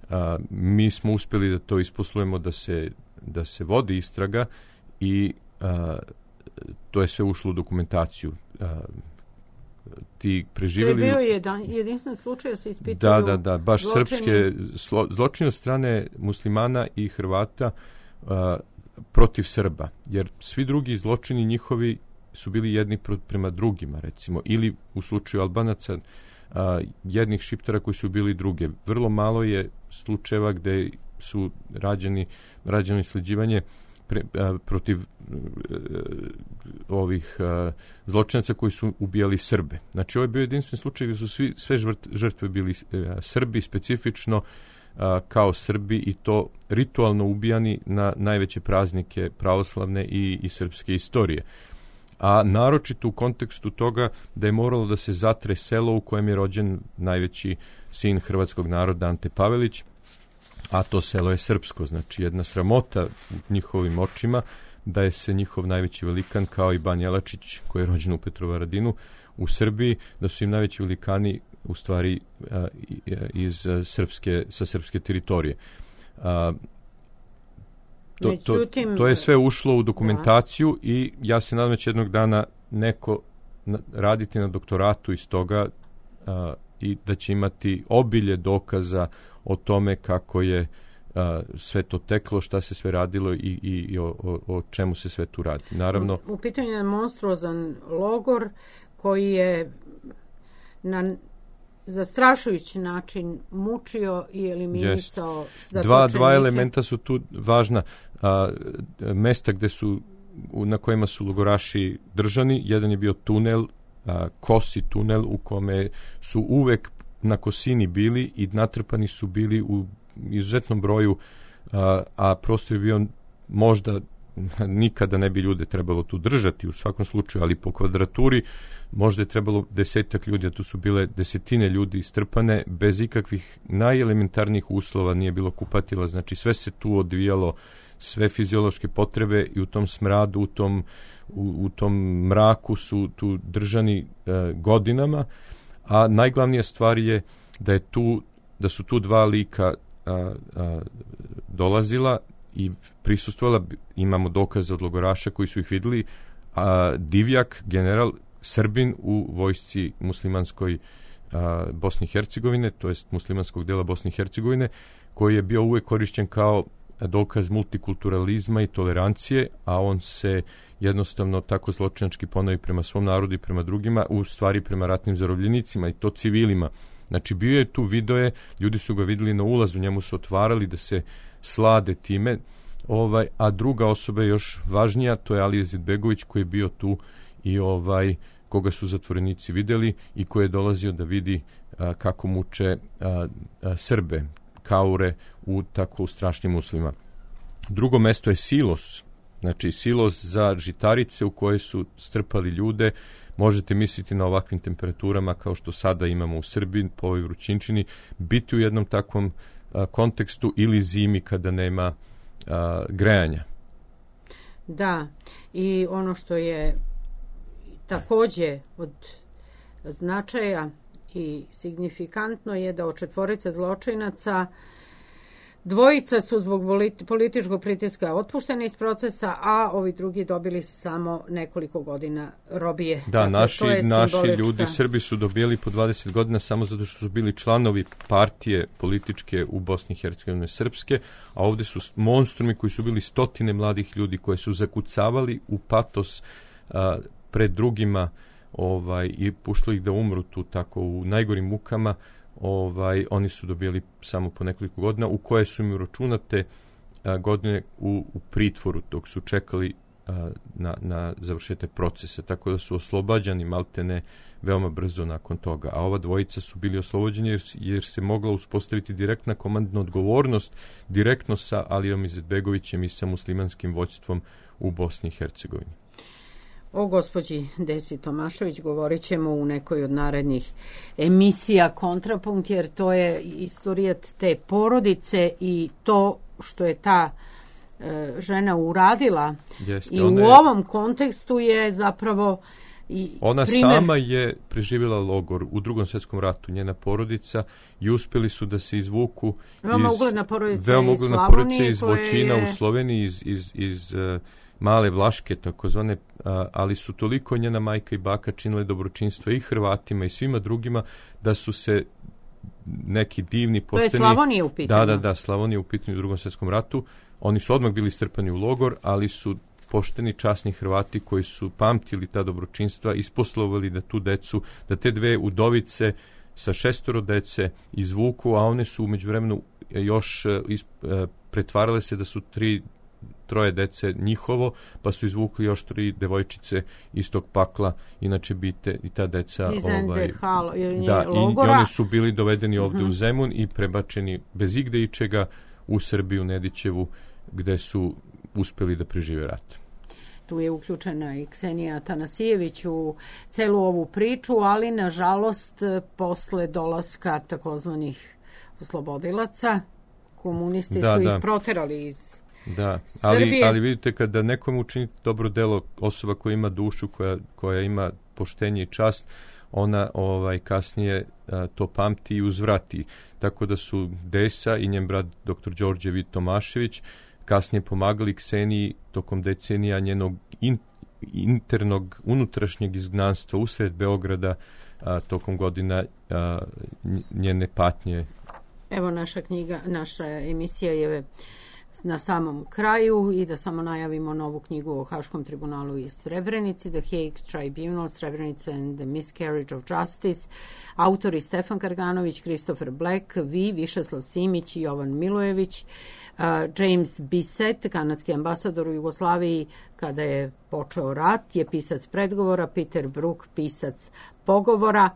A, mi smo uspjeli da to isposlujemo, da se, da se vodi istraga i a, to je sve ušlo u dokumentaciju. A, ti preživjeli...
To je bio jedan, jedinstven slučaj da se ispituju...
Da, da, da, baš
zločini.
Srpske slo, zločine od strane muslimana i Hrvata a, protiv Srba, jer svi drugi zločini njihovi su bili jedni prema drugima, recimo, ili u slučaju Albanaca a, jednih Šiptara koji su bili druge. Vrlo malo je slučajeva gde su rađeni, rađeno isleđivanje Pre, a, protiv a, ovih a, zločinaca koji su ubijali Srbe. Znači, ovo je bio jedinstven slučaj gdje su svi, sve žrtve bili a, Srbi, specifično a, kao Srbi, i to ritualno ubijani na najveće praznike pravoslavne i, i srpske istorije. A naročito u kontekstu toga da je moralo da se zatre selo u kojem je rođen najveći sin hrvatskog naroda Ante Pavelić, a to selo je srpsko. Znači, jedna sramota u njihovim očima da je se njihov najveći velikan, kao i Ban Jelačić, koji je rođen u Petrovaradinu u Srbiji, da su im najveći velikani u stvari a, iz a, srpske, sa srpske teritorije. A, to,
Međutim,
to, to je sve ušlo u dokumentaciju, da. I ja se nadam da će jednog dana neko na, raditi na doktoratu iz toga a, i da će imati obilje dokaza o tome kako je a, sve to teklo, šta se sve radilo i, i, i o, o, o čemu se sve tu radi. Naravno,
u, u pitanju je monstruozan logor koji je na zastrašujući način mučio i eliminisao
yes. dva, dva elementa su tu važna. a, mesta gde su, na kojima su logoraši držani. Jedan je bio tunel, a, kosi tunel u kome su uvek na kosini bili i natrpani su bili u izuzetnom broju, a, a prostor je bio možda nikada ne bi ljude trebalo tu držati u svakom slučaju, ali po kvadraturi možda je trebalo desetak ljudi, a tu su bile desetine ljudi strpane bez ikakvih najelementarnijih uslova, nije bilo kupatila, znači sve se tu odvijalo, sve fiziološke potrebe i u tom smradu, u tom, u, u tom mraku su tu držani e, godinama, a najglavnija stvar je da je tu, da su tu dva lika a, a, dolazila i prisustvovala, imamo dokaze od logoraša koji su ih vidjeli, a, Divjak, general Srbin u vojsci muslimanskoj a, Bosne i Hercegovine, to jest muslimanskog dela Bosne i Hercegovine, koji je bio uvek korišćen kao dokaz multikulturalizma i tolerancije, a on se jednostavno tako zločinački ponavi prema svom narodu i prema drugima, u stvari prema ratnim zarobljenicima i to civilima. Znači bio je tu, video je, ljudi su ga vidjeli na ulazu, njemu su otvarali da se slade time, ovaj, a druga osoba je još važnija, to je Ali Izetbegović koji je bio tu i ovaj koga su zatvorenici vidjeli i koji je dolazio da vidi a, kako muče a, a, Srbe, kaure u tako strašnim uslovima. Drugo mesto je silos, znači silos za žitarice u koje su strpali ljude. Možete misliti na ovakvim temperaturama kao što sada imamo u Srbiji po ovoj vrućinčini, biti u jednom takvom a, kontekstu ili zimi kada nema a, grejanja.
Da, i ono što je takođe od značaja i signifikantno je da od četvorice zločinaca dvojica su zbog političkog pritiska otpušteni iz procesa, a ovi drugi dobili samo nekoliko godina robije.
Da,
dakle,
naši, naši
simbolička...
ljudi, Srbi su dobili po dvadeset godina samo zato što su bili članovi partije političke u Bosni i Hercegovini srpske, a ovdje su monstrumi koji su bili stotine mladih ljudi koji su zakucavali u patos a, pred drugima ovaj, i puštali ih da umru tu tako u najgorim mukama. Ovaj, oni su dobili samo po nekoliko godina u koje su im uračunate a, godine u, u pritvoru dok su čekali a, na, na završete procese, tako da su oslobađani maltene veoma brzo nakon toga, a ova dvojica su bili oslobođeni jer, jer se mogla uspostaviti direktna komandna odgovornost direktno sa Alijom Izetbegovićem i sa muslimanskim vođstvom u Bosni i Hercegovini.
O gospođi Desi Tomašević govorit ćemo u nekoj od narednih emisija Kontrapunkt, jer to je istorijat te porodice i to što je ta e, žena uradila.
Jeste,
i u
je,
ovom kontekstu je zapravo i
ona
primjer...
sama je preživjela logor u Drugom svjetskom ratu, njena porodica, i uspjeli su da se izvuku
veoma
iz,
ugledna porodica
veoma
iz
ugledna
Slavonije,
porodica iz Voćina
je...
u Sloveniji, iz, iz, iz uh, Male Vlaške, takozvane, ali su toliko njena majka i baka činile dobročinstvo i Hrvatima i svima drugima da su se neki divni pošteni...
To je Slavonija u pitanju.
Da, da, da, Slavonija u pitanju u Drugom svjetskom ratu. Oni su odmah bili strpani u logor, ali su pošteni, časni Hrvati koji su pamtili ta dobročinstva, isposlovali da tu decu, da te dve udovice sa šestoro dece izvuku, a one su umeđu vremenu još is, pretvarale se da su tri troje dece njihovo, pa su izvukli još tri devojčice iz tog pakla, inače bi te, i ta deca ovaj,
Halo,
da, i, i oni su bili dovedeni ovdje
uh-huh.
u Zemun i prebačeni bez igde ičega u Srbiju, Nedićevu, gde su uspeli da prežive rat.
Tu je uključena i Ksenija Tanasijević u celu ovu priču, ali nažalost posle dolaska takozvanih oslobodilaca, komunisti
da,
su
da.
ih proterali iz
Da, ali, ali vidite kada nekom učini dobro delo, osoba koja ima dušu, koja, koja ima poštenje i čast, ona ovaj kasnije a, to pamti i uzvrati. Tako da su Desa i njen brat doktor Đorđe Vid Tomašević kasnije pomagali Kseniji tokom decenija njenog in, internog, unutrašnjeg izgnanstva usred Beograda a, tokom godina a, njene patnje.
Evo naša knjiga, naša emisija je na samom kraju i da samo najavimo novu knjigu o Haškom tribunalu i Srebrenici, The Hague Tribunal, Srebrenica and the Miscarriage of Justice. Autori Stefan Karganović, Christopher Black, vi, Višeslav Simić i Jovan Milojević. Uh, James Bissett, kanadski ambasador u Jugoslaviji kada je počeo rat, je pisac predgovora, Peter Brook, pisac pogovora.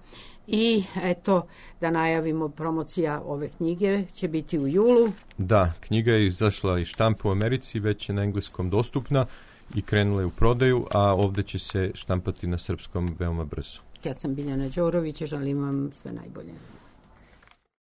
I eto, da najavimo, promocija ove knjige će biti u julu.
Da, knjiga je izašla iz štampe u Americi, već je na engleskom dostupna i krenula je u prodaju, a ovdje će se štampati na srpskom veoma brzo.
Ja sam Biljana Đorović i želim vam sve najbolje.